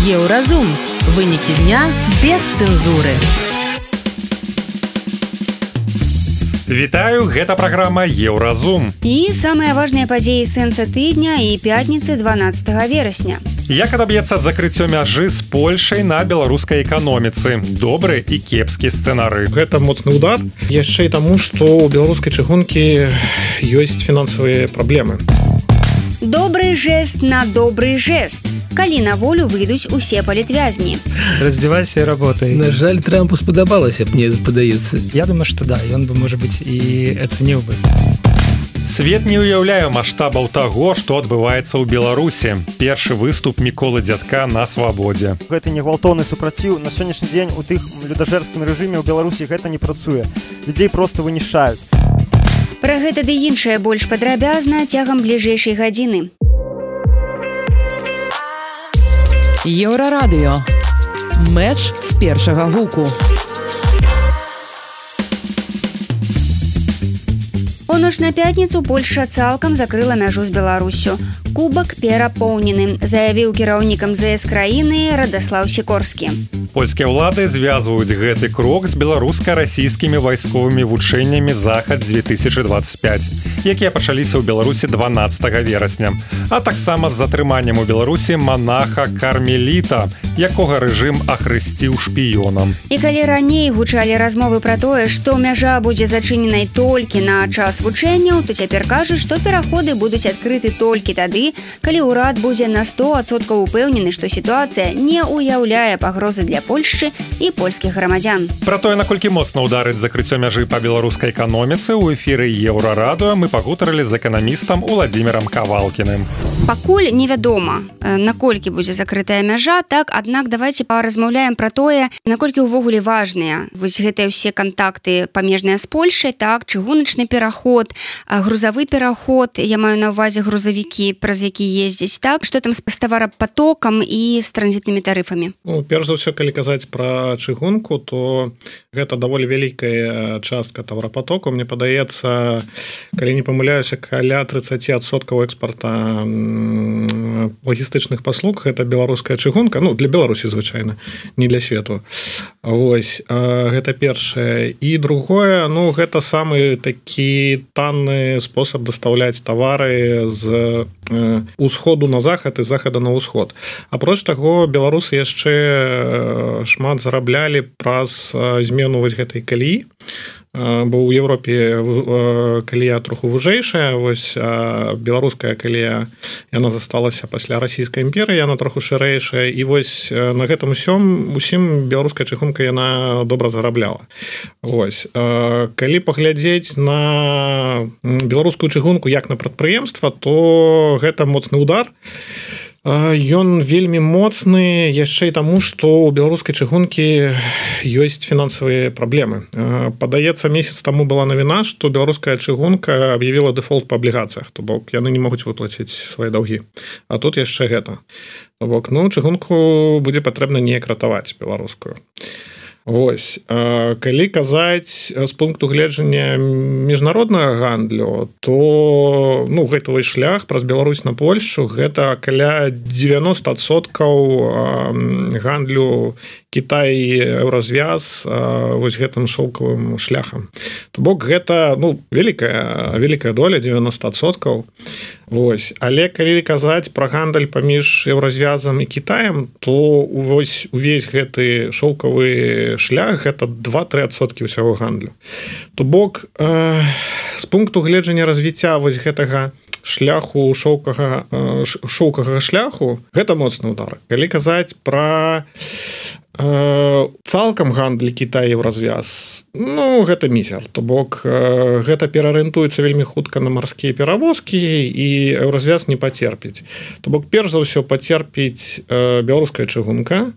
Еўразум. Вынікі дня без цэнзуры. Вітаю, гэта праграма Еўразум. І самыя важныя падзеі сэнса тыдня і пятніцы 12 верасня. Як адаб'ецца закрыццё мяжы з Польшай на беларускай эканоміцы? Добры і кепскі сцэнары. Гэта моцны удар. Яшчэ і таму, што ў беларускай чыгункі ёсць фінансавыя праблемы. Добры жэст на добры жэст. Калі на волю выйдуць усе палітвязні. Раздевайся и работай. На жаль, Трампу спадабалася, мне падаецца. Я думаю, что да, ён бы, может быть, и оценил бы. Свет не уяўляе маштабаў таго, што адбываецца ў Беларусі. Першы выступ Міколы Дзядка на свабодзе. Гэта не гвалтоўны супраціў. На сённяшні дзень у тых людажэрскім рэжыме ў Беларусі гэта не працуе. Людзей проста вынішаюць. Пра гэта ды іншае больш падрабязна цягам бліжэйшай гадзіны. Еўрарадыё. Мэч з першага гуку. У ноч на пятніцу Польшча цалкам закрыла мяжу з Беларуссю. Кубак перапоўнены, заявіў кіраўнік МЗС краіны Радаслаў Сікорскі. Польскія ўлады звязваюць гэты крок з беларуска-расійскімі вайсковымі вучэннямі «Захад-2025», якія пачаліся ў Беларусі 12 верасня, а таксама з затрыманнем у Беларусі манаха Кармеліта, якога рэжым ахрысціў шпіёнам. І калі раней гучалі размовы пра тое, што мяжа будзе зачыненай толькі на час вучэнняў, то цяпер кажуць, што пераходы будуць адкрыты толькі тады, калі ўрад будзе на 100% упэўнены, што сітуацыя не ўяўляе пагрозы для Польшчы і польскіх грамадзян. Пра тое, наколькі моцна ўдарыць закрыццё мяжы па беларускай эканоміцы, у эфіры Еўрарадыё мы пагутарылі з эканамістам Уладзімірам Кавалкіным. Пакуль невядома, наколькі будзе закрытая мяжа, так, аднак давайте паразмаўляем пра тое, наколькі ўвогуле важныя вось гэтыя ўсе кантакты памежныя з Польшай, так, чыгуначны пераход, грузавы пераход, я маю на ўвазе грузавікі, праз які ездзяць, так, што там з таварапатокам і з транзітнымі тарыфамі? Ну, перш за ўсё, калі казаць пра чыгунку, то гэта даволі вялікая частка таварапатоку. Мне падаецца, калі не памыляюся, каля 30% экспарта лагістычных паслуг гэта беларуская чыгунка, ну, для Беларусі звычайна, не для свету. Вось, гэта першае. І другое, ну, гэта самы такі танны спосаб дастаўляць тавары з усходу на захад і захада на ўсход. Апроч таго, беларусы яшчэ шмат зараблялі праз змену вось гэтай каліі, бо ў Еўропе калія троху вужэйшая, вось беларуская калія, яна засталася пасля расійскай імперыі, яна троху шырэйшая, і вось на гэтым усім беларуская чыгунка яна добра зарабляла. Вось, калі паглядзець на беларускую чыгунку як на прадпрыемства, то гэта моцны удар. Ён вельмі моцны яшчэ і таму, што ў беларускай чыгункі ёсць фінансавыя праблемы. Падаецца, месяц таму была навіна, што беларуская чыгунка аб'явіла дэфолт па аблігацыях, то бок яны не могуць выплаціць свае даўгі. А тут яшчэ гэта. То бок, ну, чыгунку будзе патрэбна неяк ратаваць беларускую. Вось, калі казаць з пункту гледжання міжнароднага гандлю, то, ну, гэтавы шлях праз Беларусь на Польшчу гэта каля 90% гандлю Кітай і Еўразвяз вось гэтым шоўкавым шляхам. То бок гэта, ну, вялікая доля, 90%. Вось, але калі казаць пра гандаль паміж Еўразвязам і Кітаем, то вось увесь гэты шоўкавы шлях гэта 2-3% ўсяго гандлю. То бок з пункту гледжання развіцця вось гэтага шляху шоўкага шляху гэта моцны удар. Калі казаць пра цалкам гандаль Кітай і Еўразвяз, ну, гэта мізер. То бок гэта пераарыентуецца вельмі хутка на марскія перавозкі, і Еўразвяз не пацерпіць. То бок перш за ўсё пацерпіць беларуская чыгунка.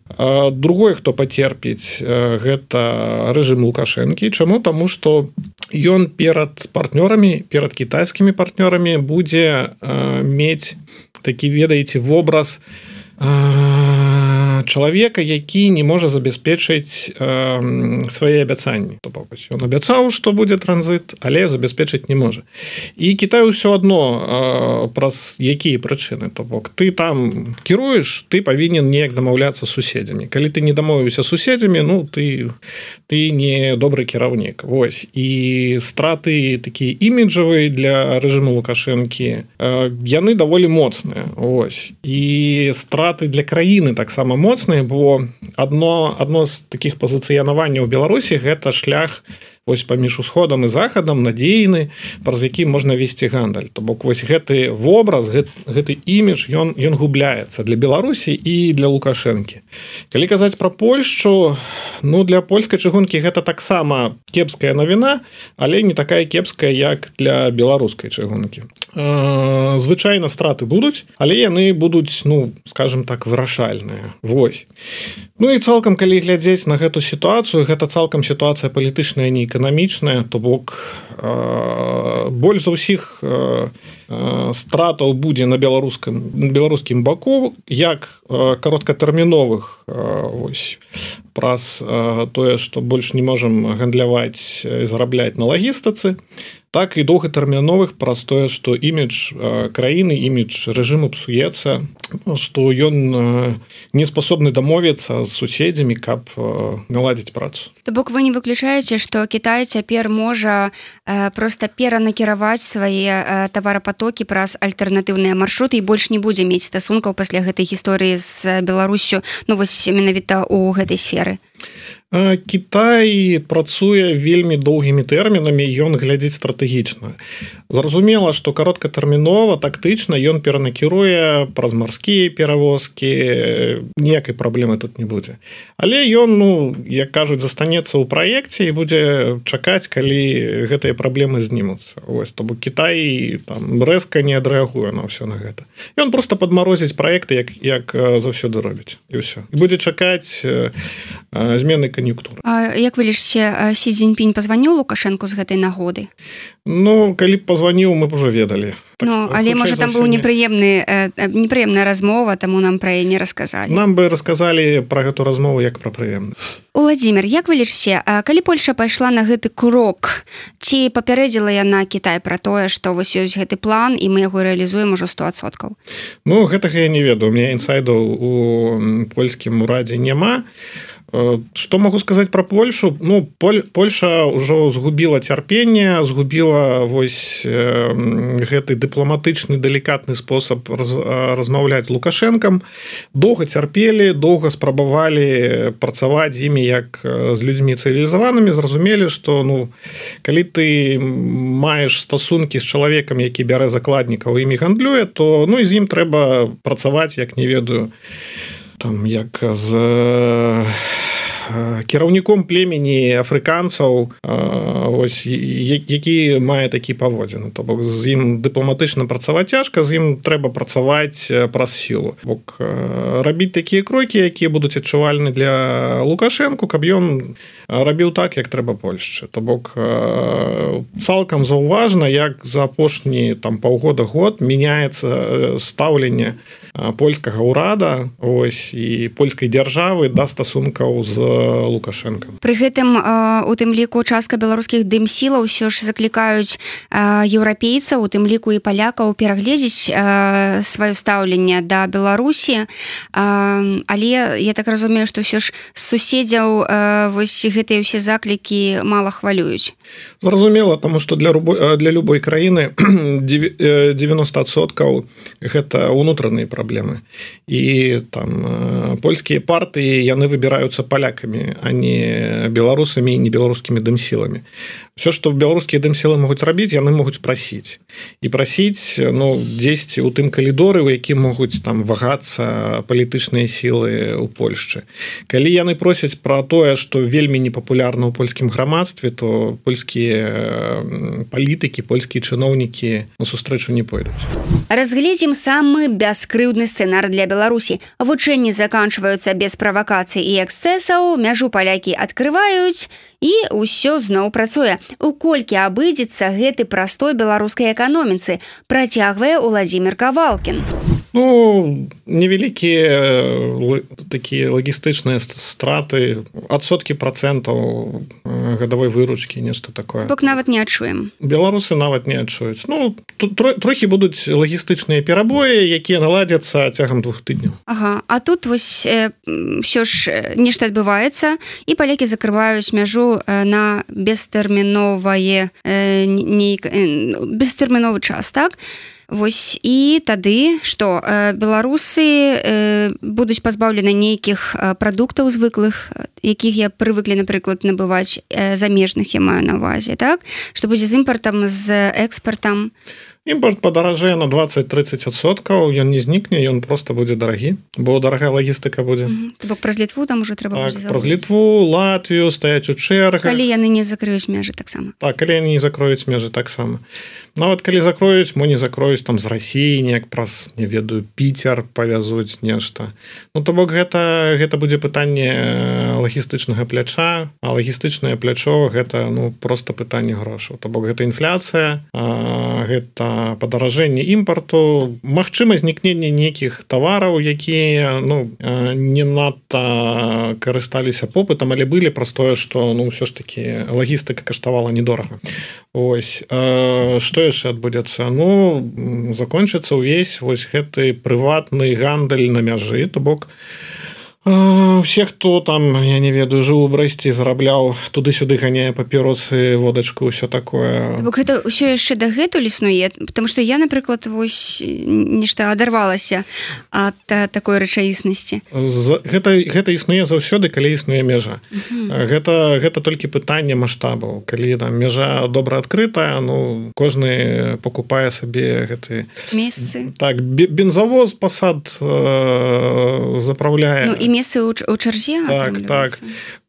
Другое, хто пацерпіць, гэта рэжым Лукашэнкі. Чаму? Таму што ён перад партнёрамі, перад кітайскімі партнёрамі будзе мець такі, ведаеце, вобраз чалавека, які не можа забяспечыць свае абяцанні. То бок ён абяцаў, што будзе транзіт, але забяспечыць не можа. І Кітай ўсё адно праз якія прычыны. То бок ты там кіруеш, ты павінен неяк дамаўляцца з суседзямі. Калі ты не дамовіўся з суседзямі, ну ты не добры кіраўнік. Вось. І страты такія іміджавыя для рэжыму Лукашэнкі, яны даволі моцныя. Вось. І страты для краіны таксама моцныя, бо адно з такіх пазіцыянаванняў Беларусі гэта шлях вось паміж усходам і захадам надзейны, праз які можна весці гандаль. То бок вось гэты вобраз, гэты імідж, ён губляецца для Беларусі і для Лукашэнкі. Калі казаць пра Польшчу, ну для польскай чыгункі гэта таксама кепская навіна, але не такая кепская, як для беларускай чыгункі. Звычайна страты будуць, але яны будуць, ну, скажем так, вырашальныя. Вось. Ну і цалкам, калі глядзець на гэту сітуацыю, гэта цалкам сітуацыя палітычная, не эканамічная, то бок больш за ўсіх стратаў будзе на беларускім баку, як кароткатэрміновых вось праз тое, што больш не можам гандляваць і зарабляць на лагістыцы, так і доўгатэрміновых праз тое, што імідж краіны, імідж рэжыму псуецца, што ён не способны дамовіцца з суседзямі, каб наладзіць працу. То бок вы не выключаеце, што Кітай цяпер можа проста перанакіраваць свае таварапатокі праз альтэрнатыўныя маршруты і больш не будзе мець стасункаў пасля гэтай гісторыі з Беларуссю, ну вось менавіта ў гэтай сферы. Кітай працуе вельмі доўгімі тэрмінамі, ён глядзіць стратэгічна. Зразумела, што кароткатэрмінова, тактычна ён перанакіруе праз марскія перавозкі, ніякай праблемы тут не будзе. Але ён, ну, як кажуць, застанецца ў праекце і будзе чакаць, калі гэтыя праблемы знімуцца. Вось, то бок Кітай там рэзка не адрэагуе на ўсё на гэта. Ён проста падмарозіць праекты, як заўсёды робіць, і ўсё. І будзе чакаць змены кан'юнктуры. А як вы лічыце, Сі Цзіньпінь пазваніў Лукашэнку з гэтай нагоды? Ну, калі б пазваніў, мы б ужо ведалі. Так ну, але, можа, там быў непрыемная размова, таму нам пра яе не расказалі. Нам бы расказалі пра гэту размову як пра прыемную. Уладзімір, як вы лічыце, калі Польша пайшла на гэты крок, ці папярэдзіла яна Кітай пра тое, што вось ёсць гэты план, і мы яго рэалізуем ужо 100%? Ну, гэтага я не ведаю. У мяне інсайдаў у польскім урадзе няма. Што магу сказаць пра Польшу? Ну, Польша ўжо згубіла цярпенне, згубіла вось гэты дыпламатычны, далікатны спосаб размаўляць з Лукашэнкам. Доўга цярпелі, доўга спрабавалі працаваць з імі як з людзьмі цывілізаванымі, зразумелі, што ну, калі ты маеш стасункі з чалавекам, які бярэ закладнікаў і імі гандлюе, то ну, і з ім трэба працаваць, як не ведаю, там, як з кіраўніком племені афрыканцаў, ось, які мае такі паводзіны. То бок з ім дыпламатычна працаваць цяжка, з ім трэба працаваць праз сілу. Бок рабіць такія крокі, якія будуць адчувальны для Лукашэнку, каб ён рабіў так, як трэба Польшчы. То бок цалкам заўважна, як за апошні там паўгода-год мяняецца стаўленне польскага ўрада, ось, і польскай дзяржавы да стасункаў з Лукашэнкам. Пры гэтым у тым ліку частка беларускіх дымсілаў ўсё ж заклікаюць еўрапейцаў, у тым ліку і палякаў перагледзець сваё стаўленне да Беларусі, але я так разумею, што ўсё ж з суседзяў вось гэтыя ўсе заклікі мала хвалююць. Зразумела, таму што для любой краіны 90% гэта ўнутраныя праблемы. І там польскія партыі, яны выбіраюцца палякамі, а не беларусамі і не беларускімі дымсіламі. Все, што беларускія дымсілы могуць рабіць, яны могуць прасіць. І прасіць, ну, дзесьці ў тым калідоры, у які могуць там вагацца палітычныя сілы ў Польшчы. Калі яны просяць пра тое, што вельмі непапулярна ў польскім грамадстве, то польскія палітыкі, польскія чыноўнікі на сустрэчу не пойдуць. Разгледзім самы бяскрыўдны сцэнар для Беларусі. Вучэнні заканчваюцца без правакацый і эксцэсаў, мяжу палякі адкрываюць, і ўсё зноў працуе. У колькі абыдзецца гэты прастой беларускай эканоміцы, працягвае Уладзімір Кавалкін. Ну, невялікія такія лагістычныя страты, адсоткі процентаў гадавой выручкі, нешта такое. Бок нават не адчуем. Беларусы нават не адчуюць. Ну, трохі будуць лагістычныя перабоі, якія наладзяцца цягам 2 тыдняў. Ага, а тут вось ўсё ж нешта адбываецца, і палякі закрываюць мяжу на бестэрміновае бестэрміновы час, так? Вось і тады што беларусы будуць пазбаўлены нейкіх прадуктаў звыклых, якіх я прывыклі, напрыклад, набываць замежных, я маю на ўвазе, так? Што будзе з імпартам, з экспартам? Імпорт падаражэе на 20-30%, ён не знікне, ён просто будзе дарагі, бо дарагая лагістыка будзе. Бок праз Літву там уже трэба будзе завозіць. Праз Літву, Латвію стаяць у чэргах. Калі яны не закрыюць межы таксама. Так, калі яны не закроюць межы таксама. Нават калі закроюць, мо не закроюць там з Расіі, неяк праз, не ведаю, Піцер павязуць нешта. Ну, то бок гэта будзе пытанне лагістычнага пляча, а лагістычнае плячо гэта, ну, просто пытанне грошаў. То бок гэта інфляцыя, гэта падаражэнне імпарту, магчыма знікненне нейкіх тавараў, якія, ну, не надта карысталіся попытам, але былі праз тое, што, ну, ўсё ж такі лагістыка каштавала недорага. Ось, што яшчэ адбудзецца? Ну, закончыцца ўвесь вось гэты прыватны гандаль на мяжы, то бок усе, хто там, я не ведаю, жыў у Брэсце, зарабляў, туды-сюды ганяе папіросы, водачку, ўсё такое. Бок гэта ўсё яшчэ дагэтуль існуе, потому што я, напрыклад, вось нешта адарвалася ад такой рэчаіснасці. Гэта існуе заўсёды, калі існуе мяжа. Гэта толькі пытанне маштабаў. Калі там мяжа добра адкрытая, ну, кожны покупае сабе гэты месцы. Так, бензавоз пасад заправляе. Ну, і месцы ў чарзе. Так.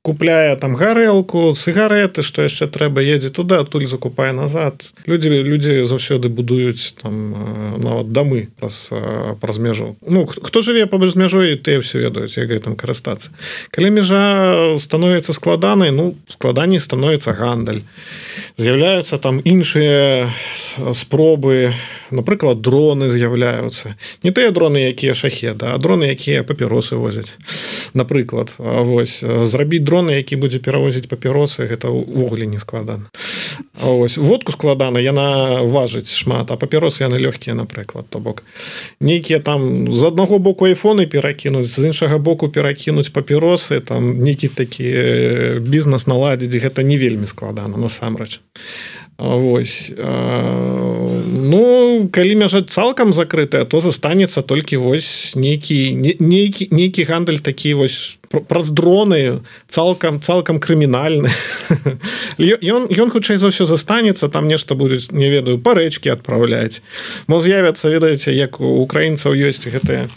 Купляе там гарэлку, цыгареты, што яшчэ трэба, едзе туды, адтуль закупае назад. Людзі заўсёды будуюць там нават дамы праз мяжу. Ну, хто жыве побач з мяжой, тыя ўсё ведаюць, як гэтым карыстацца. Калі мяжа становіцца складанай, ну, складаней становіцца гандаль. З'яўляюцца там іншыя спробы, напрыклад, дроны з'яўляюцца. Не тыя дроны, якія шахеды, а дроны, якія папіросы возяць. Напрыклад, вось, зрабіць дрон, які будзе перавозіць папіросы, гэта ўвогуле не складана. Ось, водку складана, яна важыць шмат, а папіросы яны лёгкія, напрыклад. То бок, нейкія там з аднаго боку айфоны перакінуць, з іншага боку перакінуць папіросы, там нейкі такі бізнес наладзіць, гэта не вельмі складана, насамрэч. Вось. Ну, калі мяжа цалкам закрытая, то застанецца толькі вось нейкі гандаль такі вось праз дроны, цалкам крымінальны. Ён хутчэй за ўсё застанецца, там нешта будуць, не ведаю, па рэчкі адпраўляць. Мо з'явяцца, ведаеце, як у украінцаў ёсць гэтыя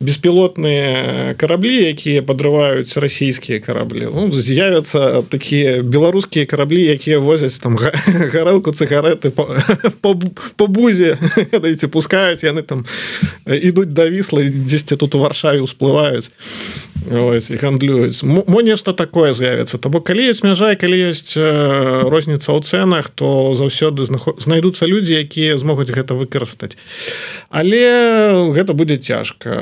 беспілотныя караблі, якія падрываюць расійскія караблі. Ну, з'явяцца такія беларускія караблі, якія возяць там гарэлку, цыгареты по бузе, ведаеце, пускаюць, яны там ідуць да Віслы, дзесьці тут у Варшаве ўсплываюць. Ось, і гандлююць. Мо нешта такое з'явіцца. То бок, калі ёсць мяжа, калі ёсць розніца ў цэнах, то заўсёды знайдуцца людзі, якія змогуць гэта выкарыстаць. Але гэта будзе цяжка.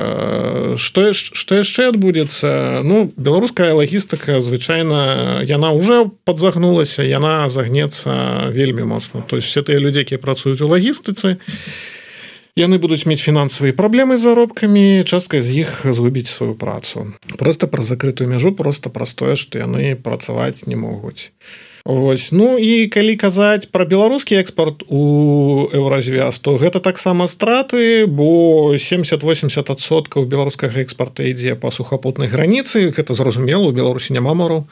Што яшчэ адбудзецца? Ну, беларуская лагістыка, звычайна, яна ўжо падзагнулася, яна загнецца вельмі моцна. То есть все тыя людзі, якія працуюць у лагістыцы, яны будуць мець фінансавыя праблемы з заробкамі, частка з іх згубіць сваю працу. Проста праз закрытую мяжу, проста праз тое, што яны працаваць не могуць. Вось. Ну і калі казаць пра беларускі экспорт у Еўразвяз, то гэта таксама страты, бо 70-80% беларускага экспорта ідзе па сухапутнай граніцы, гэта зразумела, у Беларусі няма мораў.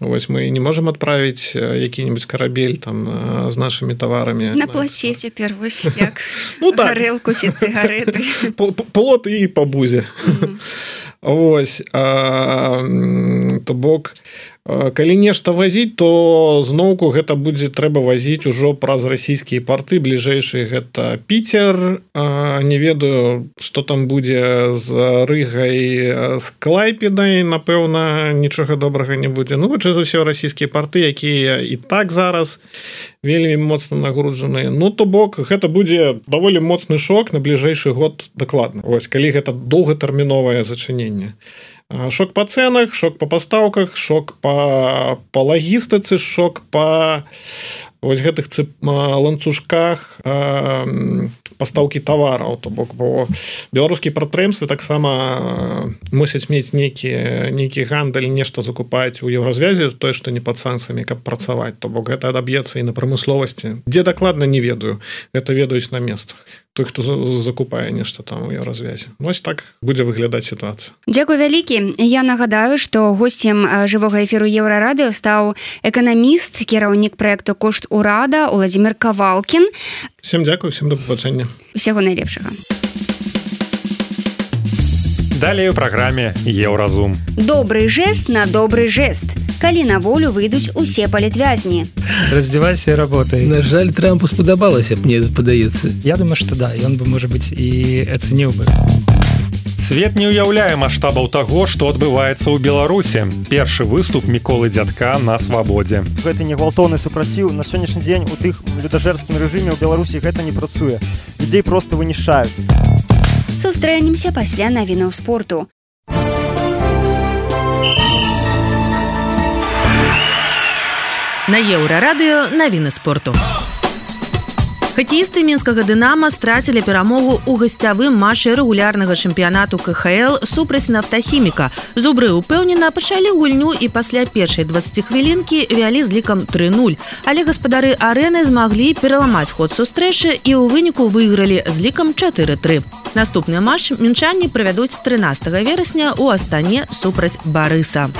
Вось мы не можам адправіць які-небудзь карабель там з нашымі таварамі. На пласе цяпер вось як гарэлку ці цыгареты. Плот і па бузе. Вось. То бок Калі нешта вазіць, то зноўку гэта будзе трэба вазіць ужо праз расійскія порты. Бліжэйшы гэта Піцер. Не ведаю, што там будзе з Рыгай, з Клайпедай. Напэўна, нічога добрага не будзе. Ну, хутчэй за ўсё, расійскія порты, якія і так зараз вельмі моцна нагружаныя. Ну, то бок, гэта будзе даволі моцны шок на бліжэйшы год дакладна. Вось, калі гэта доўгатэрміновае зачыненне. Шок по ценах, шок по пастаўках, шок по лагістыцы, шок по вось гэтых ланцужках пастаўкі тавараў. То бок, бо беларускія прадпрыемствы таксама мусяць мець нейкі гандаль, нешта закупаць у еўразвязе, тое, што не пад санкцыямі, каб працаваць. То бок гэта адаб'ецца і на прамысловасці. Дзе дакладна не ведаю, гэта ведаюць на месцах. Той, хто закупае нешта там у еўразвязе. Вось так будзе выглядаць сітуацыя. Дзякуй вялікі. Я нагадаю, што госцем жывога эфіру Еўрарадыё стаў эканаміст, кіраўнік праекту «Кошт урада» Уладзімір Кавалкін. Всем дзякуй, всем да пабачэння. Усяго найлепшага. Далей у праграме «Еўразум». Добрый жест на добрый жест. Калі на волю выйдуць усе палітвязні. Раздевайся и работай. На жаль, Трампу спадабалася, мне падаецца. Я думаю, что да, и он бы, может быть, и оценил бы. Свет не уяўляе маштабаў таго, што адбываецца ў Беларусі. Першы выступ Міколы Дзядка на свабодзе. Гэты негвалтоўны супраціў на сённяшні дзень у тых людажэрскім рэжыме ў Беларусі гэта не працуе. Людзей проста вынішчаюць. Сустрэнемся пасля навінаў спорту. На Еўрарадыё навіны спорту. Хакеісты мінскага «Дынама» страцілі перамогу ў гасцявым матчы рэгулярнага чэмпіянату КХЛ супраць «Нафтахіміка». Зубры ўпэўнена пачалі гульню і пасля першай 20 хвілінкі вялі з лікам 3-0. Але гаспадары арэны змаглі пераламаць ход сустрэчы і ў выніку выйгралі з лікам 4-3. Наступны матч мінчане правядуць 13 верасня ў Астане супраць Барыса.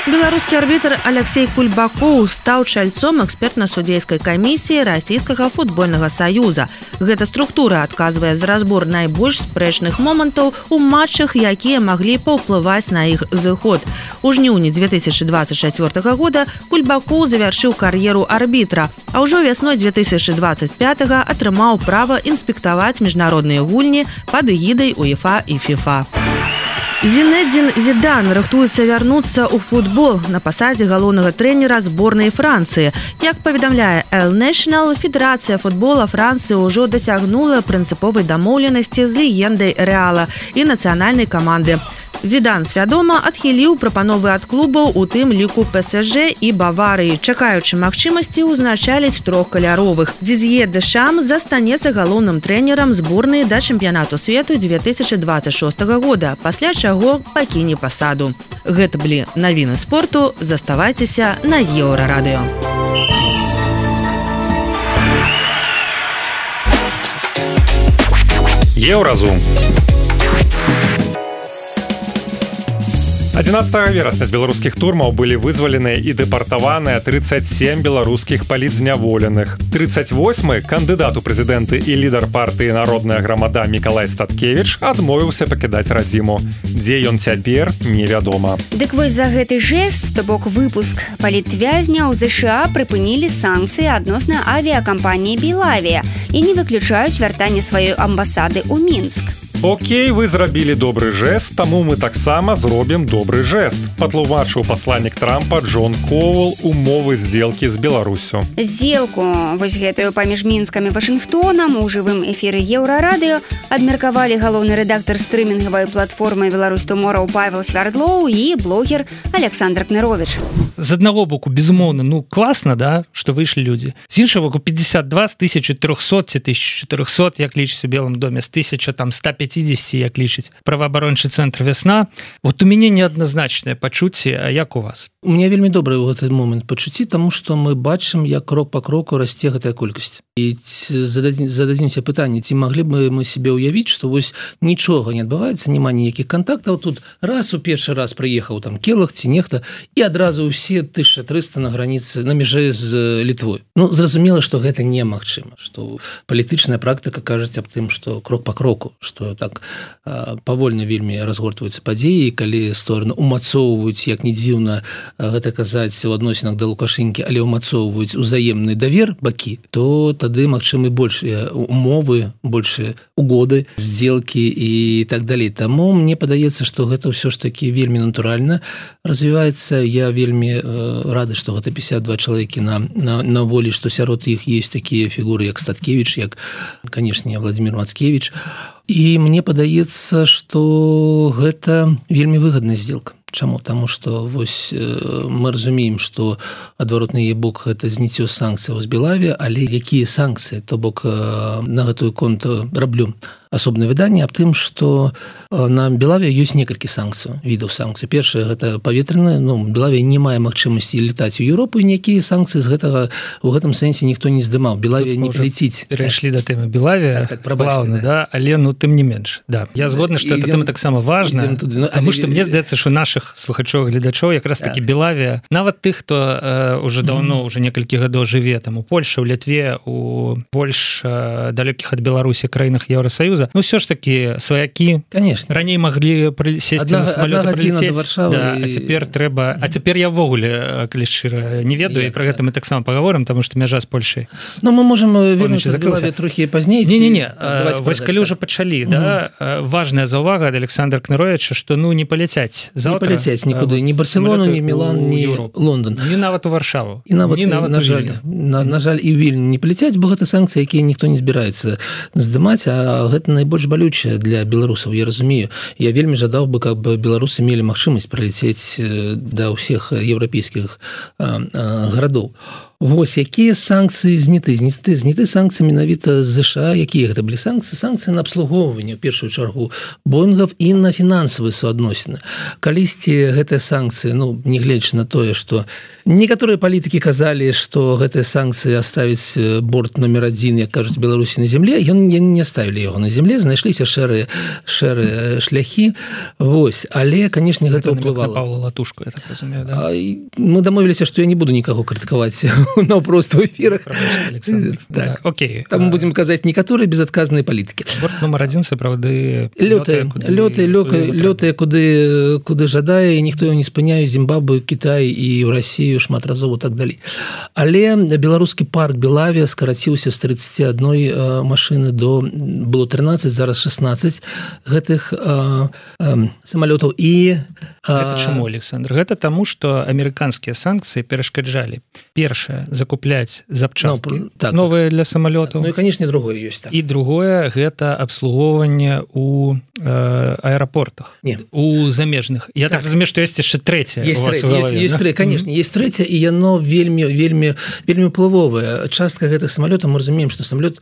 Беларускі арбітр Алексей Кульбакоў стаў чальцом экспертна-судзейскай камісіі Расійскага футбольнага саюза. Гэта структура адказвае за разбор найбольш спрэчных момантаў у матчах, якія маглі паўплываць на іх зыход. У жніўні 2024 года Кульбакоў завяршыў кар'еру арбітра, а ўжо вясной 2025 атрымаў права інспектаваць міжнародныя гульні пад эгідай УЕФА і ФІФА. Зінедзін Зідан рыхтуецца вярнуцца ў футбол на пасадзе галоўнага трэнера зборнай Францыі. Як паведамляе El National, Федэрацыя футбола Францыі ўжо дасягнула прынцыповай дамоўленасці з легендай Рэала і нацыянальнай каманды. Зідан свядома адхіліў прапановы ад клубаў, у тым ліку ПСЖ і Баварыі, чакаючы магчымасці ўзначаліць трохкаляровых. Дидье Дэшам застанецца галоўным трэнерам зборнай да чэмпіянату свету 2026 года, пасля чаго пакіне пасаду. Гэта былі навіны спорту. Заставайцеся на Еўрарадыё. Еўразум. 11 верасня з беларускіх турмаў былі вызваленыя і дэпартаваныя 37 беларускіх палітзняволеных. 38-й кандыдат у прэзідэнты і лідар партыі «Народная грамада» Мікалай Статкевіч адмовіўся пакідаць радзіму. Дзе ён цяпер, невядома. Дык вось за гэты жэст, то бок выпуск палітвязняў ЗША прыпынілі санкцыі адносна авіякампаніі «Белавія» і не выключаюць вяртанне сваёй амбасады ў Мінск. Окей, вы зрабілі добры жэст, таму мы таксама зробім добры жэст. Патлумачыў пасланнік Трампа Джон Коул умовы здзелкі з Беларусю. Здзелку вось гэтую паміж Мінскам і Вашынгтонам у жывым эфіры Еўрарадыё абмеркавалі галоўны рэдактар стрымінгавай платформы «Беларусь Туморроу» Павел Свярдлоў і блогер Александр Кнырович. З аднаго боку, безумоўна, класна, да, што выйшлі людзі. З іншага боку, 52 з 1300 ці 1400, як лічыць у Белым доме, з 1150, як лічыць праваабарончы цэнтр «Вясна». Вот у мяне неадназначнае пачуцце, а як у вас? У меня вельмі добрый ў гэты момант пачуцці, таму што мы бачым, як крок па кроку расце гэтая колькасць. і зададзімся пытанне, ці маглі бы мы себе ўявіць, што вось нічога не адбываецца, няма ніякіх кантактаў, тут раз у першы раз прыехаў там Келах ці нехта, і адразу ўсе 1300 на граніцы, на мяжы з Літвой. Ну, зразумела, што гэта немагчыма, што палітычная практыка кажуць аб тым, што крок па кроку, што так павольна вельмі разгортваюцца падзеі, калі стороны умацоўваюць, як не дзіўна гэта казаць у адносінах да Лукашэнкі, але умацоўваюць узаемны давер бакі, то тады магчымы большыя умовы, большыя угоды, здзелкі і так далей. Таму мне падаецца, што гэта ўсё ж такі вельмі натуральна развіваецца. Я вельмі рады, што гэта 52 чалавекі на волі, што сярод іх ёсць такія фігуры, як Статкевіч, як, канешне, Владимир Мацкевіч. І мне падаецца, што гэта вельмі выгадная здзелка. Чаму? Таму што вось мы разумеем, што адваротны яе бок гэта зніццё санкцыяў з Белаві, але якія санкцыі? То бок на гэтую конту раблю асобнае выданне аб тым, што на Белаве ёсць некалькі санкцый, відаў санкцый. Першае гэта паветранае, ну, Белаве не мае магчымасці летаць у Еўропу, і ніякія санкцыі з гэтага у гэтым сэнсе ніхто не здымаў. Белаве не леціць. Перайшлі да тэмы Белаве, плаўна, да, але ну тым не менш. Да. Я згодны, што гэта тэма таксама важная, таму што мне здаецца, што нашых слухачоў, гледачоў якраз такі Белаве, нават тых, хто уже даўно, уже некалькі гадоў жыве там у Польшы, у Літве, у больш далёкіх ад Беларусі краінах Еўрасаюза, ну ўсё ж такі сваякі, конечно, раней маглі сесці на самалёт і прылецець, да, а цяпер трэба, а цяпер я ввогуле, калі шчыра, не ведаю, і пра гэта мы таксама пагаворым, таму што мяжа з Польшай. Ну мы можам вернуцца да Белаве трохі пазней. Не, вось калі ўжо пачалі, да, важная заўвага ад Александра Кныровіча, што ну не паляцяць заўтра. Не паляцяць нікуды, ні Барселону, ні Мілан, ні Лондон. Ні нават у Варшаву. І нават, на жаль, і ў Вільню не паляцяць, бо гэта санкцыі, якія ніхто не збіраецца здымаць, а гэта найбольш балючае для беларусаў, я разумею. Я вельмі жадаў бы, каб беларусы мелі магчымасць прылецець да ўсіх еўрапейскіх гарадоў. Вось, якія санкцыі зняты санкцыі менавіта з ЗША, якія гэта былі санкцыі на абслугоўванне, ў першую чаргу, Боингов і на фінансавыя суадносіны. Калісьці гэтыя санкцыі, ну, не гледзячы на тое, што некаторыя палітыкі казалі, што гэтыя санкцыі аставіць борт номер 1, як кажуць, Беларусі на земле, не ставілі яго на земле, знайшліся шэрыя шляхі. Вось, але, канешне, гэта ўплывала. Павла Латушку, я так разумею, да? Мы дамовіліся, што я не буду нікаго крытыкаваць на просто ў эфірах. Так, окей. Там будем казаць некаторыя безадказныя палітыкі. Борт номер 1 сапраўды лётае куды жадае, ніхто яго не спыняе, Зімбабве, Кітай і ў Расію шмат разоў так далей. Але беларускі парк Белаве скараціўся з 31 машыны до было 13, зараз 16 гэтых самалётаў. І гэта чаму, Александр? Гэта таму, што амерыканскія санкцыі перашкаджалі. Першае, закупляць запчасткі новыя для самалётаў. Ну і, канешне, другое ёсць. І другое, гэта абслугоўванне ў аэрапортах, у замежных. Я так разумею, што ёсць яшчэ трэцяе. Ёсць трэцяе, канешне, ёсць трэцяе, і яно вельмі уплывовае. Частка гэтых самалётаў, мы разумеем, што самалёт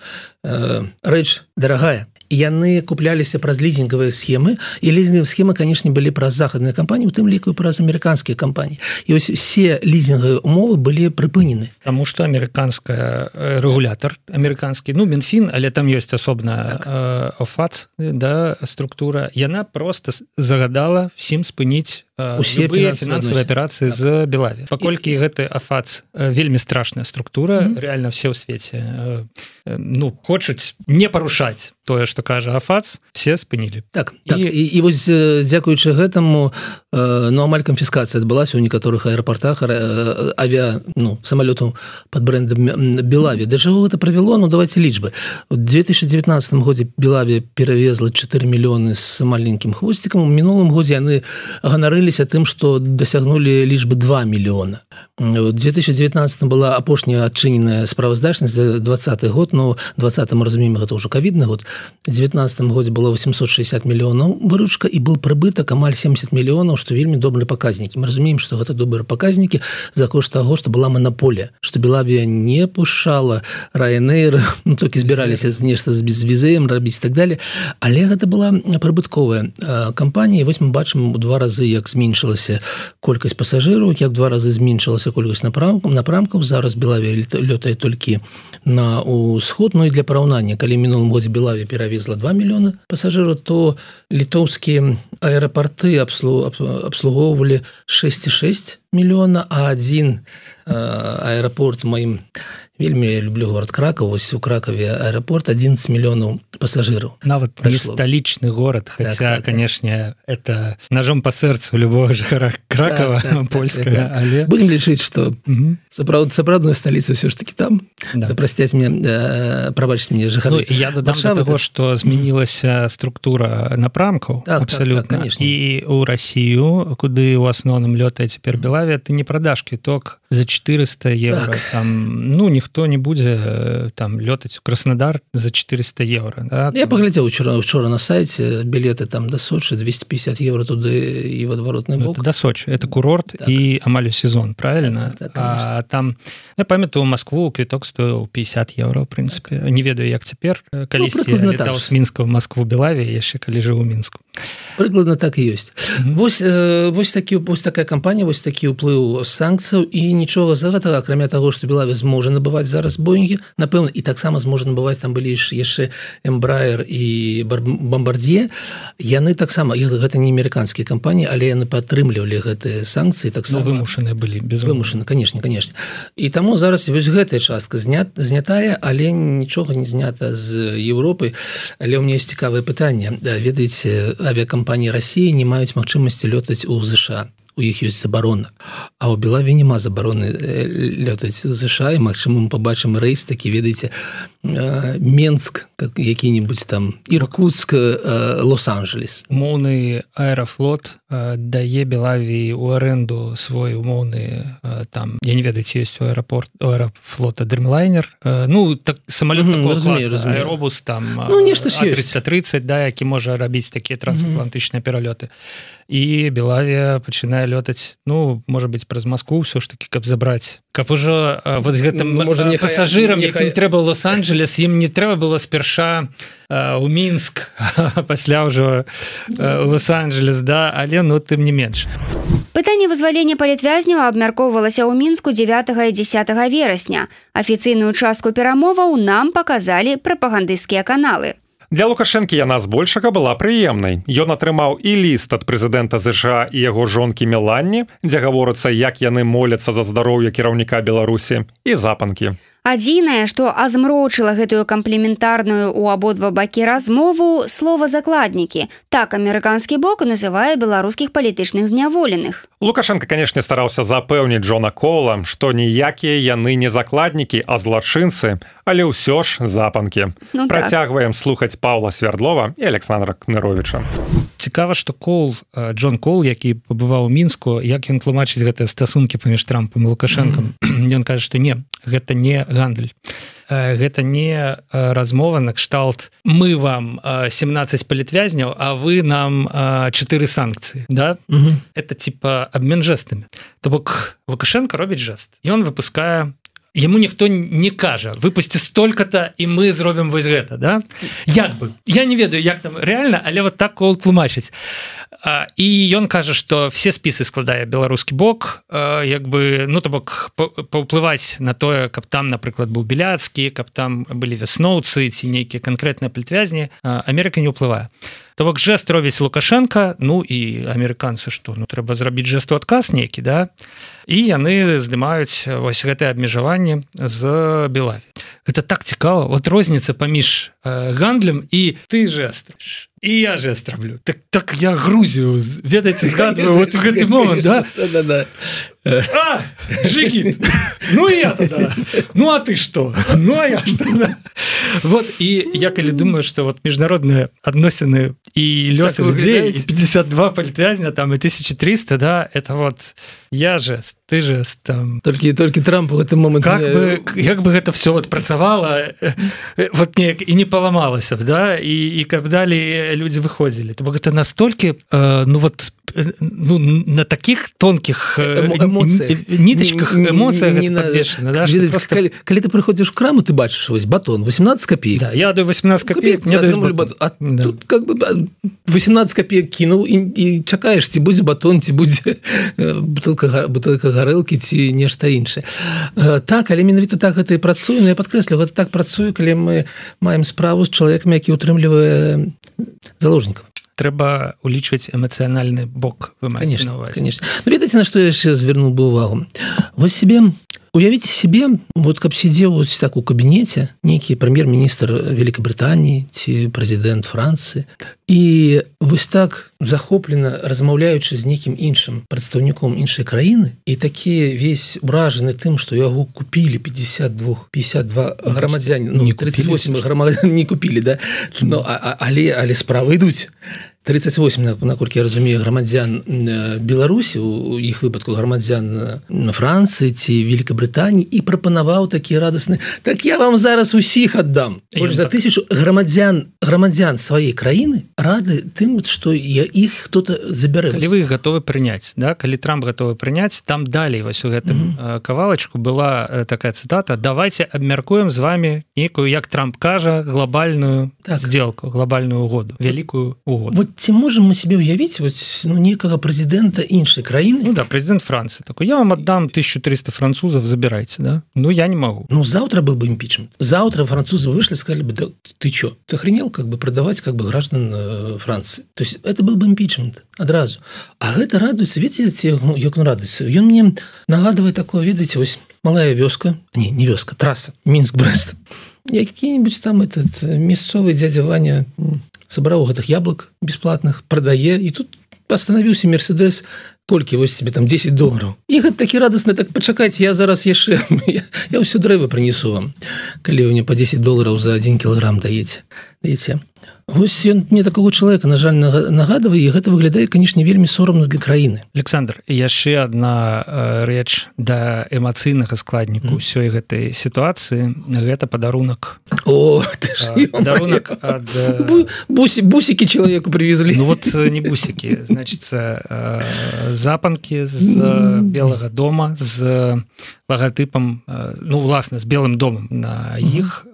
рэч дарагая. Яны купляліся праз лізінгавыя схемы, і лізінгавыя схемы, канешне, былі праз захадныя кампаніі, у тым ліку праз амерыканскія кампаніі. І вось все лізінгавыя умовы былі прыпынены. Таму што амерыканская рэгулятар, амерыканскі, ну, Мінфін, але там ёсць асобна ОФАЦ, да, структура, яна проста загадала всім спыніць любыя фінансавыя аперацыі з Белаве. Паколькі гэты АФАЦ вельмі страшная структура, рэальна все ў свеце ну, хочуць не парушаць тое, што кажа АФАЦ, все спынілі. Так. І вось дзякуючы гэтаму амаль канфіскацыя адбылася ў некаторых аэрапортах самалётаў пад брэндам Белаве. Да чаго гэта правяло? Ну, давайте лічбы. У 2019 годзе Белаве перавезла 4 мільёны з маленькім хвосцікам. У мінулым годзе яны ганарыліся тым, што дасягнулі лічбы 2 мільёна. У 2019 была апошняя адчыненая справаздачнасць за 20 год, но 20 мы разумеем, гэта ўжо ковідны год. У 2019 годзе было 860 мільёнаў выручка і был прыбытак амаль 70 мільёнаў, што вельмі добрыя паказнікі. Мы разумеем, што гэта добрыя паказнікі за кошт таго, што была манаполія, што Белавія не пушала Ryanair, ну, толькі збіраліся нешта з безвізэем рабіць і так далее, але гэта была прыбытковая кампанія. Вось мы бачым у 2 разы, як зменшылася колькасць пасажыраў, як 2 разы зменшылася памяншылася колькасць напрамкаў. Зараз Белавія лётае толькі на ўсход. Ну і для параўнання, калі мінулым годзе Белавія перавезла 2 мільёны пасажыраў, то літоўскія аэрапорты абслугоўвалі 6,6 мільёна, а адзін аэрапорт маім вельмі люблю город Краков, вось у Кракове аэропорт 11 миллионов пассажиров. Нават не столичный город, хотя, так, конечно, это ножом по сердцу любого жителя Кракова, польского. Але... Будем лечить, что сапраўдная столица все ж таки там. Да простять мне, пробачьте мне, жихары. Ну, я додам до того, что изменилась структура напрамков, абсолютно. Так, конечно. И у Россию, куда в основном летает теперь Белавия, ты не продашь квиток за 400 евро. Так. Там, ну, ніхто не будзе там лётаць у Краснодар за 400 евро. Да? Я поглядел вчера на сайте, билеты там до Сочи, 250 евро туды и в отворотный бок. Это до Сочи, это курорт, так. И амаль сезон, правильно? Так, а там, я памятаю, у Москву квиток стоил 50 евро, в принципе. Так. Не ведаю, як цяпер, калісьці я летаў з Мінска в Москву, Белавія, яшчэ калі жыў у Мінску. Прыкладна так і ёсць. Вось такая кампанія, вось такі ўплыў санкцыяў, і нічога за гэтага, акрамя таго, што Белавія зможа набываць зараз Боинги, напэўна, і таксама зможа набываць, там былі яшчэ Embraer і Bombardier, яны таксама, гэта не амерыканскія кампаніі, але яны падтрымлівалі гэтыя санкцыі, таксама вымушаныя былі, безумоўна. Вымушаны, конечно. І таму зараз вось гэтая частка знятая, але нічога не знята з Еўропы. Але ў мяне ёсць цікавае пытанне. Ведаеце, авиакомпании России не маюць магчымасці лётаць у ЗША. У іх ёсць забарона. А ў Белавіі няма забароны лётаць у ЗША, і магчыма мы пабачым рэйс такі, ведаеце, Менск, які-небудзь там, Иркутск, Лос-Анджелес. Умоўны аэрафлот дае Белавіі ў аренду свой умоўны там, я не ведаю, ці ёсць у аэрафлота Dreamliner, ну, так, самолёт такого класа, аэробус там, А330, да, які можа рабіць такія трансатлантычныя пералёты. І Белавія пачынае лётаць, ну, можа быць, праз Москву ўсё ж такі, каб забраць. Каб ужо вот з гэтым пасажырам, якім трэба Лос-Анджелес, ім не трэба было спярша у Мінск, пасля ўжо Лос-Анджелес, да, але, ну, тым не менш. Пытанне вызвалення палітвязняў абмяркоўвалася ў Мінску 9 і 10 верасня. Афіцыйную частку перамоваў нам паказалі прапагандысцкія каналы. Для Лукашэнкі яна збольшага была прыемнай. Ён атрымаў і ліст ад прэзідэнта ЗША і яго жонкі Меланні, дзе гаворыцца, як яны моляцца за здароўе кіраўніка Беларусі, і запанкі. Адзінае, што азмрочыла гэтую камплементарную ў абодва бакі размову, слова «закладнікі». Так амерыканскі бок называе беларускіх палітычных зняволеных. Лукашенко, канешне, стараўся запэўніць Джона Коула, што ніякія яны не закладнікі, а злачынцы, але ўсё ж запанкі. Ну, працягваем слухаць Паўла Свердлова і Александра Кныровіча. Цікава, што Джон Коул, які пабываў у Мінску, як ён тлумачыць гэтыя стасункі паміж Трампам і Лукашэнкам, ён кажа, што не, гэта не гандаль. Гэта не размова на кшталт мы вам 17 палітвязняў, а вы нам 4 санкцыі, да? Это типа обмен жестами. То бок Лукашенко робіць жест. Ён выпускае, яму ніхто не кажа, выпусці столько-то, і мы зробім вось гэта, да? Як бы. Я не ведаю, як там реально, але вот так Коул тлумачыць. І ён кажа, што все спісы складае беларускі бок, як бы, ну, то бок паўплываць на тое, каб там, напрыклад, быў Беляцкі, каб там былі вясноўцы ці нейкія канкрэтныя палітвязні, Амерыка не ўплывае. То бок жест робіць Лукашенко, ну і амерыканцы што, ну трэба зрабіць жест у адказ нейкі, да? І яны здымаюць вось гэтае абмежаванне з Белаві. Гэта так цікава, вот розніца паміж гандлем і ты жест. І я жест раблю. Так я Грузію, ведаеце, згадваю вот у гэты момент, да? Да-да-да. А, Джигит, ну и я тогда, ну а ты что, ну а я что, да? Вот, и я коли думаю, что вот международные относины и лёсы людей, и 52 палітвязня, там, и 1300, да, это вот я жест, ты жест, там. Только Трамп в этот момент... Как бы это все вот працавало, вот и не поломалось, да, и как далее люди выходили. То бок это настолько, ну вот, ну, на таких тонких ниточках эмоциях подвешено. Да, просто... Калі ты прыходзіш в краму, ты бачыш вось батон 18 копеек. Да, я даю 18 копеек, мне даюць батон. А да. Тут как бы 18 копеек кинул і чакаеш, ці будзе батон, ці будзе бутылка гарэлкі, ці нешта іншае. Так, але менавіта так гэта і працуе, но я падкрэслю, гэта так працуе, калі мы маем справу з чалавекам, які ўтрымлівае заложнікаў. Трэба улічваць эмацыянальны бок, вы маеце на ўвазе. Конечно. Ну, ведаеце, на што я яшчэ звярнуў бы увагу? Вось уявіце себе, вот каб сидзеў вот так у кабінеце нейкі прэм'ер-міністр Великабрытаніі ці прэзідэнт Францыі, і вось так захоплена размаўляючы з нейкім іншым прадстаўніком іншай краіны, і такі весь уражаны тым, што яго купілі 52 грамадзяне, ну, 38 грамадзян не купілі, да? Но, але справы ідуць. 38, наколькі я разумею, грамадзян Беларусі, у іх выпадку грамадзян Францыі ці Великабрытаніі, і прапанаваў такі радасны: так я вам зараз усіх аддам. Больш за 1000 грамадзян сваёй краіны рады тым, што іх хто-то забярэ. Калі вы іх гатовы прыняць, да? Калі Трамп гатовы прыняць, там далей вось у гэтым кавалачку была такая цытата: давайте абмяркуем з вами нейкую, як Трамп кажа, глобальную сделку, глобальную угоду, вялікую угоду. Вот ці можем мы себе уявіць вот, ну, некага прэзідэнта іншай краіны? Ну да, прэзідэнт Францыі такой: я вам аддам 1300 французов, забирайте, да? Ну, я не могу. Ну, завтра был бы импичмент. Завтра французы вышли и сказали бы: да ты чё, ты охренел как бы продавать как бы граждан Франции? То есть это был бы импичмент адразу. А гэта радуецца, видите, як он радуецца? Ён мне нагадывает такое, видите, вось малая вёска, не вёска, трасса, Минск-Брест. Які-нибудь там этот мясцовы дядя Ваня собраў гэтых яблок бесплатных, прадае, і тут остановился Мерседес, колькі вось тебе там $10. І гэта такі радасны: так пачакайце, я зараз яшчэ я ўсё дрэва прынесу вам, калі вы мне по $10 за 1 кілаграм даеце. Вось ён мне такого чалавека, на жаль, нагадывае, і гэта выглядае, канешне, вельмі сорамна для краіны. Александр, яшчэ адна рэч да эмацыйнага складніку ўсёй гэтай сітуацыі — гэта падарунак. О, падарунак ад бусікі чалавеку привезли. Ну вот не бусікі, значыцца запанкі з Белага дома з лагатыпам, ну, власна, з Белым домам на іх,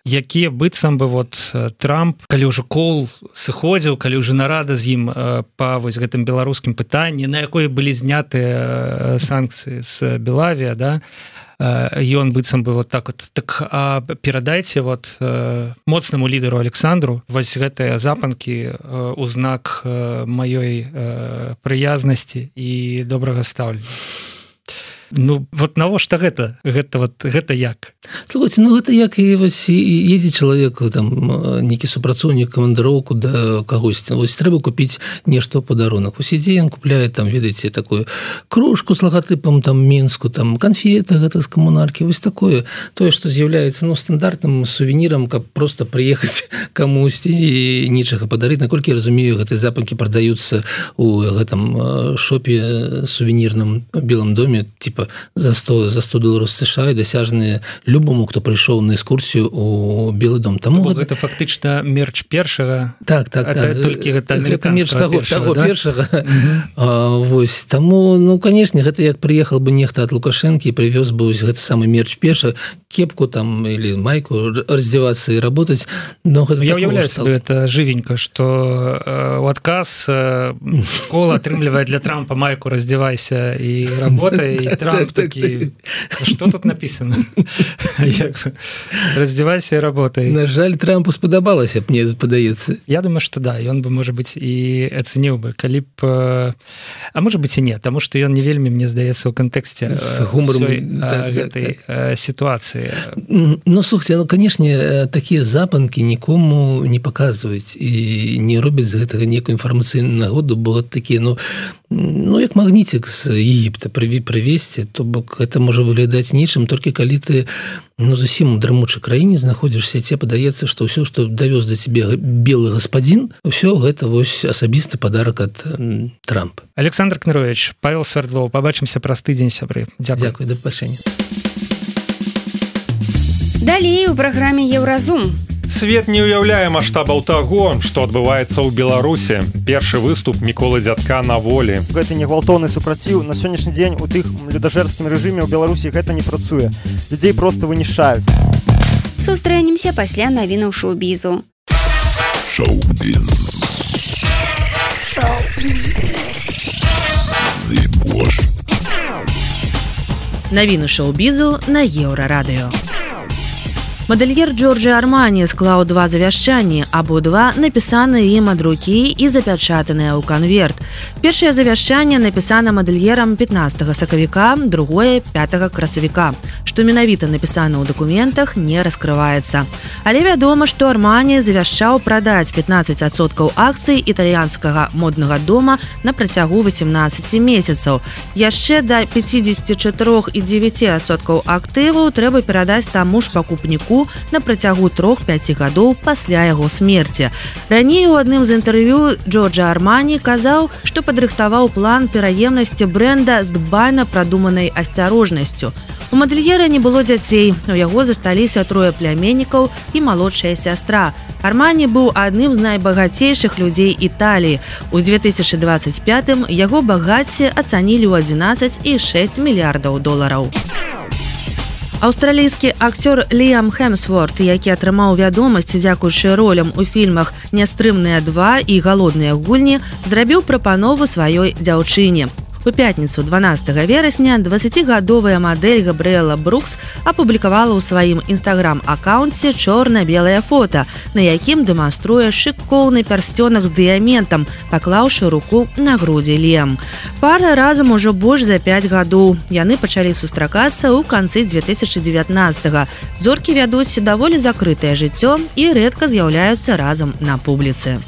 якія быццам бы вот Трамп, калі ўжо Коул сыходзіў, калі ўжо нарада з ім па вось гэтым беларускім пытанні, на якой былі знятыя санкцыі з Белавія, да, ён быццам бы вот так вот: так перадайце вот моцнаму лідару Александру вось гэтыя запанкі у знак маёй прыязнасці і добрага стаўлення. Ну, вот навошта гэта як? Слухайте, ну гэта як і вось ездзіць чалавек, там нейкі супрацоўнік камандыроўку да кагосьці, вось трэба купіць нешта ў падарунак. Вось ідзе ён купляе там, ведаеце, такую кружку з лагатыпам там Мінску, там канфеты гэта з камунаркі, вось такое, тое, што з'яўляецца, ну, стандартным сувенірам, каб просто прыехаць камусьці і нічага падарыць. Наколькі я разумею, гэтыя запанкі прадаюцца у гэтым шопе сувенірным у Белым доме, типа за $100 США, і дасяжныя любому, хто прыйшоў на экскурсію у Белы дом. Таму гэта фактычна мерч першага. Так. Толькі гэта амерыканскага першага. Вось, таму, ну, канешне, гэта як прыехал бы нехта ад Лукашэнкі і прывёз бы вось гэты самы мерч перша, кепку там или майку, раздеваться и работать. Но я уяўляю себе это живенько, что у адказ Коул атрымлівае для Трампа майку «Раздевайся и работай», и Трамп такі: что тут написано? «Раздевайся и работай». На жаль, Трампу спадабалася, мне падаецца. Я думаю, что да, и он бы, может быть, и оценил бы, калі б... А может быть и нет, потому что он не вельмі, мне здаецца, у контексте гэтай ситуации. Ну, слухайте, ну, конечно, такие запанки никому не показывают и не робят з гэтага некую информацыйную нагоду, бо такие, ну, як магнітик з Египта привезти, то бок это можа выглядаць нечым, толькі калі ты, ну, зусім у дрымучай краіне знаходзішся, тебе падаецца, што ўсё, што давёз да цябе белы гаспадзін, ўсё гэта вось асабісты падарак ад Трампа. Александр Кнырович, Павел Свердлов, побачымся праз тыдзень, сябры. Дзякуй, да пабачэння. Далей у праграме «Еўразум». Свет не ўяўляе маштабаў таго, што адбываецца ў Беларусі. Першы выступ Міколы Дзядка на волі. Гэта не гвалтоўны супраціў. На сённяшні дзень у тых людажэрскім рэжыме ў Беларусі гэта не працуе. Людзей проста вынішчаюць. Сустрэнемся пасля навінаў шоу-бізу. Шоу-біз. Навіны шоу-бізу на Еўрарадыё. Мадэльер Джорджа Армані склаў 2 завяшчанні, абодва напісаны ім ад рукі і запячатаныя ў канверт. Першае завяшчанне напісана мадэльерам 15 сакавіка, другое 5 красавіка. Што менавіта напісана ў дакументах, не раскрываецца. Але вядома, што Армані завяшчаў прадаць 15% акцый італьянскага моднага дома на працягу 18 месяцаў. Яшчэ да 54,9% актываў трэба перадаць таму ж пакупніку на працягу 3-5 гадоў пасля яго смерці. Раней у адным з інтэрв'ю Джорджа Армані казаў, што падрыхтаваў план пераемнасці брэнда з дбайна прадуманай асцярожнасцю. У мадэльера не было дзяцей, у яго засталіся 3 пляменнікаў і малодшая сястра. Армані быў адным з найбагацейшых людзей Італіі. У 2025 яго багацце ацанілі ў 11,6 мільярдаў долараў. Аўстралійскі акцёр Ліам Хемсворт, які атрымаў вядомасць дзякуючы ролям у фільмах «Нястрымныя 2» і «Галодныя гульні», зрабіў прапанову сваёй дзяўчыне. У пятніцу 12 верасня 20гадовая мадэль Габрыэла Брукс апублікавала ў сваім інстаграм-акаунце чорна-белае фота, на якім дэманструе шыкоўны пярсцёнак з дыяментам, паклаўшы руку на грудзі Ліам. Пара разам ужо больш за 5 гадоў. Яны пачалі сустракацца ў канцы 2019-га. Зоркі вядуць даволі закрытае жыццё і рэдка з'яўляюцца разам на публіцы.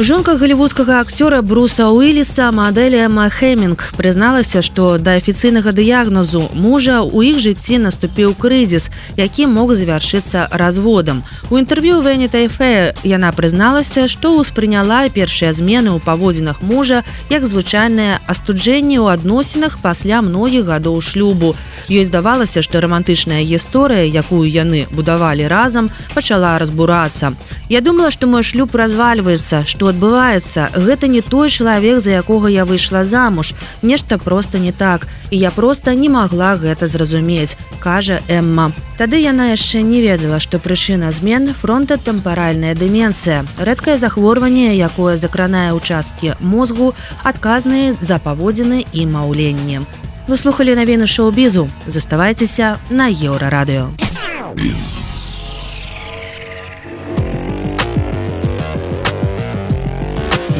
Жонка галівудскага акцёра Бруса Уиллиса, мадэль Эмма Хемінг, прызналася, што да афіцыйнага дыягназу мужа ў іх жыцці наступіў крызіс, які мог завяршыцца разводам. У інтэрв'ю Vanity Fair яна прызналася, што ўспрыняла першыя змены ў паводзінах мужа як звычайнае астуджэнне ў адносінах пасля многіх гадоў шлюбу. Ёй здавалася, што рамантычная гісторыя, якую яны будавалі разам, пачала разбурацца. Я думала, што мой шлюб развальваецца, што адбываецца. Гэта не той чалавек, за якога я выйшла замуж. Нешта проста не так. І я проста не магла гэта зразумець, кажа Эмма. Тады яна яшчэ не ведала, што прычына змен фронтатэмпаральная дэмэнцыя. Рэдкае захворванне, якое закранае ўчасткі мозгу, адказныя за паводзіны і маўленне. Вы слухалі навіны шоу-бізу. Заставайцеся на Еўрарадыё.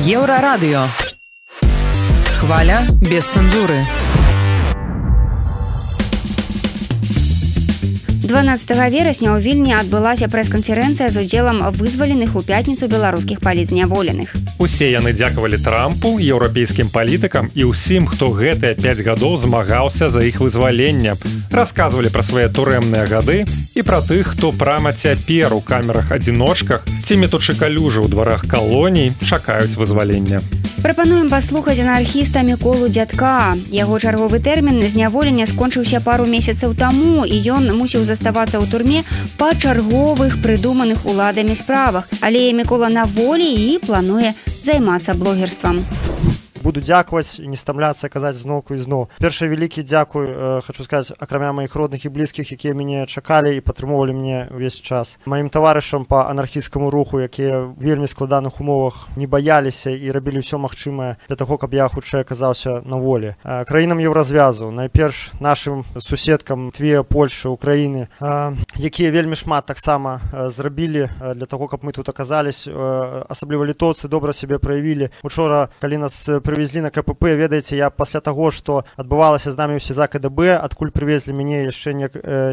Еўрарадыё. Хваля без цэнзуры. 12 верасня ў Вільні адбылася прэс-канферэнцыя з удзелам вызваленых у пятніцу беларускіх палітзняволеных. Усе яны дзякавалі Трампу, еўрапейскім палітыкам і ўсім, хто гэтыя 5 гадоў змагаўся за іх вызваленне. Расказвалі пра свае турэмныя гады і пра тых, хто прама цяпер у камерах-адзіночках ці метучы калюжы ў дварах калоній чакаюць вызвалення. Прапануем паслухаць анархіста Міколу Дзядка. Яго чарговы тэрмін зняволення скончыўся пару месяцаў таму, і ён мусіў заставацца ў турме па чарговых прыдуманых уладамі справах. Але Мікола на волі і плануе займацца блогерствам. Буду дзякаваць і не стамляцца казаць зноўку і зноў. Першы вялікі дзякуй, хочу сказаць, акрамя маіх родных і блізкіх, якія мяне чакалі і падтрымоўвалі мне ўвесь час. Маім таварышам па анархісцкаму руху, якія ў вельмі складаных умовах не баяліся і рабілі ўсё магчымае для таго, каб я хутчэй аказаўся на волі. Краінам еўразвязу, найперш нашым суседкам Літве, Польшы, Украіны, якія вельмі шмат таксама зрабілі для таго, каб мы тут аказаліся. Асабліва літоўцы добра сябе праявілі. Учора, калі нас привезли на КПП, ведаеце, я пасля таго, што адбывалася з намі ў СІЗА КДБ, адкуль привезли мяне яшчэ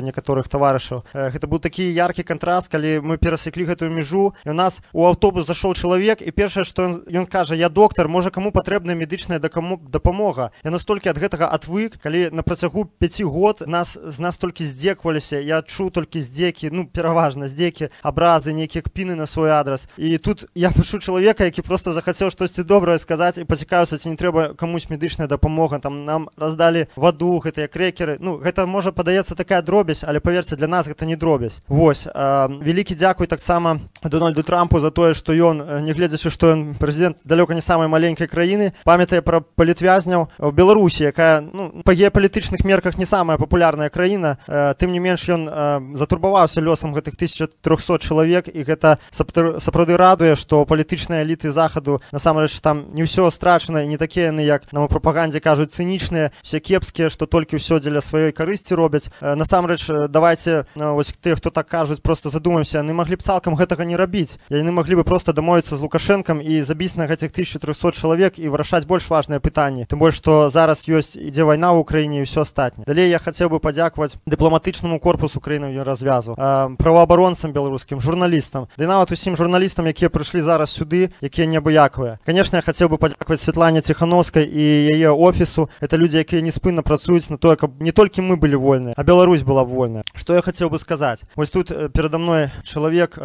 некаторых таварышаў. Гэта быў такі яркі кантраст, калі мы перасеклі гэтую мяжу, і у нас у аўтобус зашоў чалавек, і першае, што ён кажа: я доктар, можа, каму патрэбная медычная дапамога. Я настолькі ад гэтага адвык, калі на працягу 5 год з нас толькі здзекваліся, я чуў толькі здзекі, пераважна здзекі, абразы, нейкія кпіны на свой адрас. І тут я пачуў чалавека, які проста захацеў штосьці добрае сказаць і пацікаў пытаюцца, ці не трэба камусь медычная дапамога, там нам раздалі ваду, гэтыя крэкеры. Ну, гэта можа падаецца такая дробязь, але паверце, для нас гэта не дробязь. Вось, вялікі дзякуй таксама Дональду Трампу за тое, што ён, не гледзячы, што ён прэзідэнт далёка не самай маленькай краіны, памятае пра палітвязняў у Беларусі, якая, ну, па геапалітычных мерках не самая папулярная краіна, тым не менш ён затурбаваўся лёсам гэтых 1300 чалавек, і гэта сапраўды радуе, што палітычныя эліты захаду насамрэч там не ўсё страчана, і не такія яны, як нам у прапагандзе кажуць, цынічныя, все кепскія, што толькі ўсё дзеля сваёй карысці робяць. Насамрэч, давайте, вось тыя, хто так кажуць, просто задумаемся, яны маглі б цалкам гэтага не рабіць. Яны маглі бы просто дамовіцца з Лукашэнкам і забіць на гэтых 1300 чалавек і вырашаць больш важныя пытанні. Тым больш, што зараз ёсць, ідзе вайна ў Украіне і ўсё астатняе. Далей я хацеў бы падзякаваць дыпламатычнаму корпусу краіны развязу, праваабаронцам беларускім, журналістам, ды нават усім журналістам, якія прыйшлі зараз сюды, якія неабыякавыя. Канешне, я хацеў бы падзякаваць Святлане Ціхановскай і яе офісу. Это людзі, якія неспынна працуюць на тое, каб не толькі мы былі вольныя, а Беларусь была вольная. Што я хацеў бы сказаць? Вось тут перада мной чалавек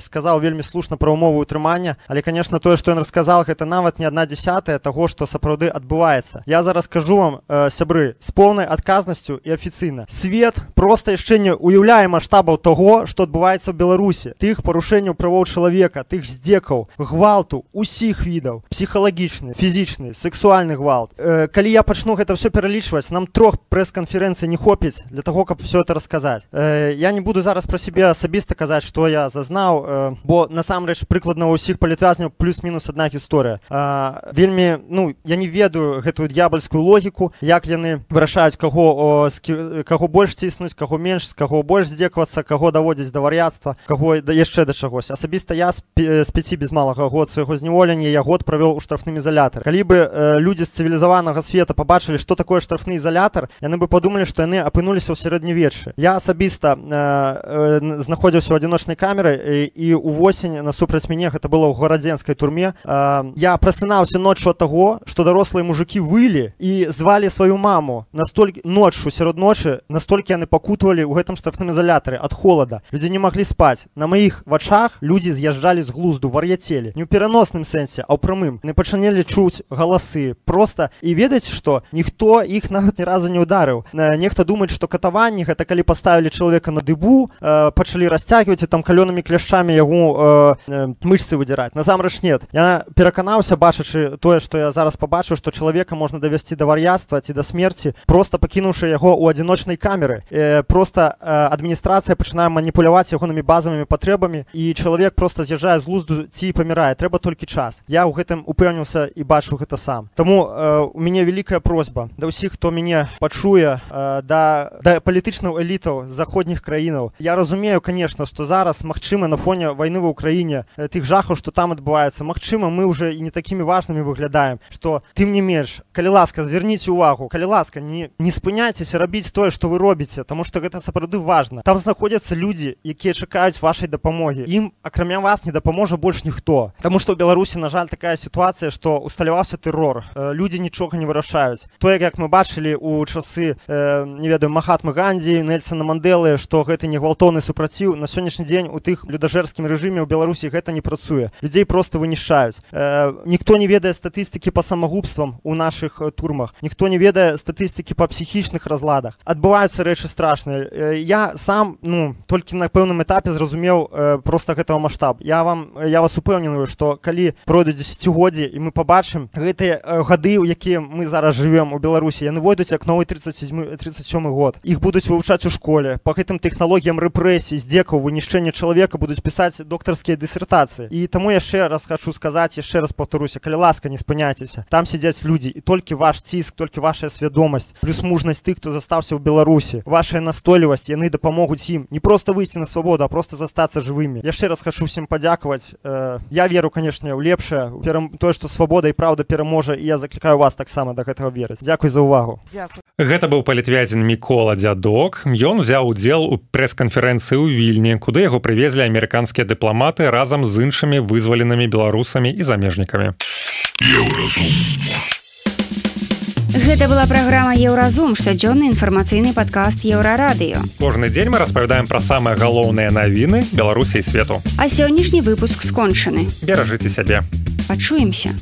сказаў вельмі слушна пра ўмовы ўтрымання, але, канешне, тое, што ён расказаў, гэта нават не 1/10 таго, што сапраўды адбываецца. Я зараз кажу вам, сябры, з поўнай адказнасцю і афіцыйна. Свет проста яшчэ не уяўляе маштабаў таго, што адбываецца ў Беларусі. Тых парушэнняў правоў чалавека, тых здзекаў, гвалту усіх відаў, псіхалагічны, фізічны, сексуальны гвалт. Калі я пачну гэта ўсё пералічваць, нам 3 прэс-канферэнцый не хопіць для таго, каб все это расказаць. Я не буду зараз пра сябе асабіста казаць, што я зазнаў, бо насамрэч прыкладна ў усіх палітвязняў плюс-мінус адна гісторыя. Вельмі, ну, я не ведаю гэтую д'ябальскую логіку, як яны вырашаюць, каго больш ціснуць, каго менш, з каго больш здзекавацца, каго даводзіць да вар'яцтва, каго яшчэ да чагось. Асабіста я з 5 без малага год свайго зняволення я год правёў у штрафным ізалятары. Калі бы людзі з цывілізаванага света пабачылі, што такое штрафны ізалятар, яны бы падумалі, што яны апынуліся ў сярэднявеччы. Я асабіста знаходзіўся ў адзіночнай камеры, і увосень насупраць мяне, гэта было ў гарадзенскай турме, я прасынаўся ноччу ад таго, што дарослыя мужыкі вылі і звалі сваю маму ноччу, сярод ночы, настолькі яны пакутавалі ў гэтым штрафным ізалятары ад холада. Людзі не маглі спаць. На маіх вачах людзі з'язджалі з глузду, вар'яцелі. Не ў пераносным сэнсе, а ў прамым. Не пачыналі чуць галасы. Проста. І ведаць, што ніхто іх нават ні разу не ударыў. Нехта думаць, што катаванні гэта калі паставілі чалавека на дыбу, пачалі расцягваць і там калёнымі кляшчамі яго мышцы выдзіраць. Насамрэч нет. Я пераканаўся, бачачы тое, што я зараз пабачыў, што чалавека можна давесці да вар'яцтва ці да смерці, проста пакінуўшы яго ў адзіночнай камеры. Проста адміністрацыя пачынае маніпуляваць ягонымі базавымі патрэбамі, і чалавек проста з'язджае з глузду ці памірае. Трэба толькі час. Я ў гэтым упэўніўся і бачыў гэта сам. Таму у мяне вялікая просьба да ўсіх, хто мяне пачуе, да палітычных элітаў заходніх краінаў. Я разумею, конечно, што зараз, магчыма, на фоне вайны ва ўкраіне, тых жахаў, што там адбываецца, магчыма, мы ўжо і не такімі важнымі выглядаем, што тым не менш, калі ласка, звярніце ўвагу, калі ласка, не спыняйцеся рабіць тое, што вы робіце, таму што гэта сапраўды важна. Там знаходзяцца людзі, якія чакаюць вашай дапамогі. Ім, акрамя вас, не дапаможа больш ніхто. Таму што ў Беларусі, на жаль, такая сітуацыя, што усталяваўся тэрор. Людзі нічога не вырашаюць. Тое, як мы бачылі ў часы, не ведаю, Махатмы Гандзі, Нельсона Мандэлы, што гэта не гвалтоўны супраціў, на сённяшні дзень у тых людажэрскім рэжыме ў Беларусі гэта не працуе. Людзей проста вынішчаюць. Ніхто не ведае статыстыкі па самагубствам у нашых турмах. Ніхто не ведае статыстыкі па псіхічных разладах. Адбываюцца рэчы страшныя. Я сам, толькі на пэўным этапе зразумеў проста гэтага маштаб. Я вас упэўненую, што калі пройдуць дзесяцігоддзі і мы пабачым гэтыя гады, у якія мы зараз жывем у Беларусі, яны войдуць як новы 37 год. Іх будуць вывучаць у школе. Па гэтым тэхналогіям рэпрэсій, здзекаў, вынішчэння чалавека будуць пісаць доктарскія дысертацыі. І таму яшчэ раз хочу сказаць, яшчэ раз паўтаруся, калі ласка, не спыняйцеся. Там сядзяць людзі, і толькі ваш ціск, толькі ваша свядомасць, плюс мужнасць тых, хто застаўся ў Беларусі, вашая настойлівасць, яны дапамогуць ім не проста выйсці на свабоду, а проста застацца жывымі. Яшчэ раз хочу всім падзякаваць. Я веру, канешне, ў лепшае, тое, што свабода і праўда пераможа, і я заклікаю вас таксама да гэтага верыць. Дзякуй за ўвагу. Гэта быў палітвязень Мікола Дзядок. Ён узяў удзел у прэс-канферэнцыі ў Вільні, куды яго прывезлі амерыканскія дыпламаты разам з іншымі вызваленымі беларусамі і замежнікамі. Гэта была праграма «Еўразум», штодзённы інфармацыйны падкаст Еўрарадыё. Кожны дзень мы распавядаем пра самыя галоўныя навіны Беларусі і свету. А сённяшні выпуск скончаны. Беражыце сябе. Пачуемся.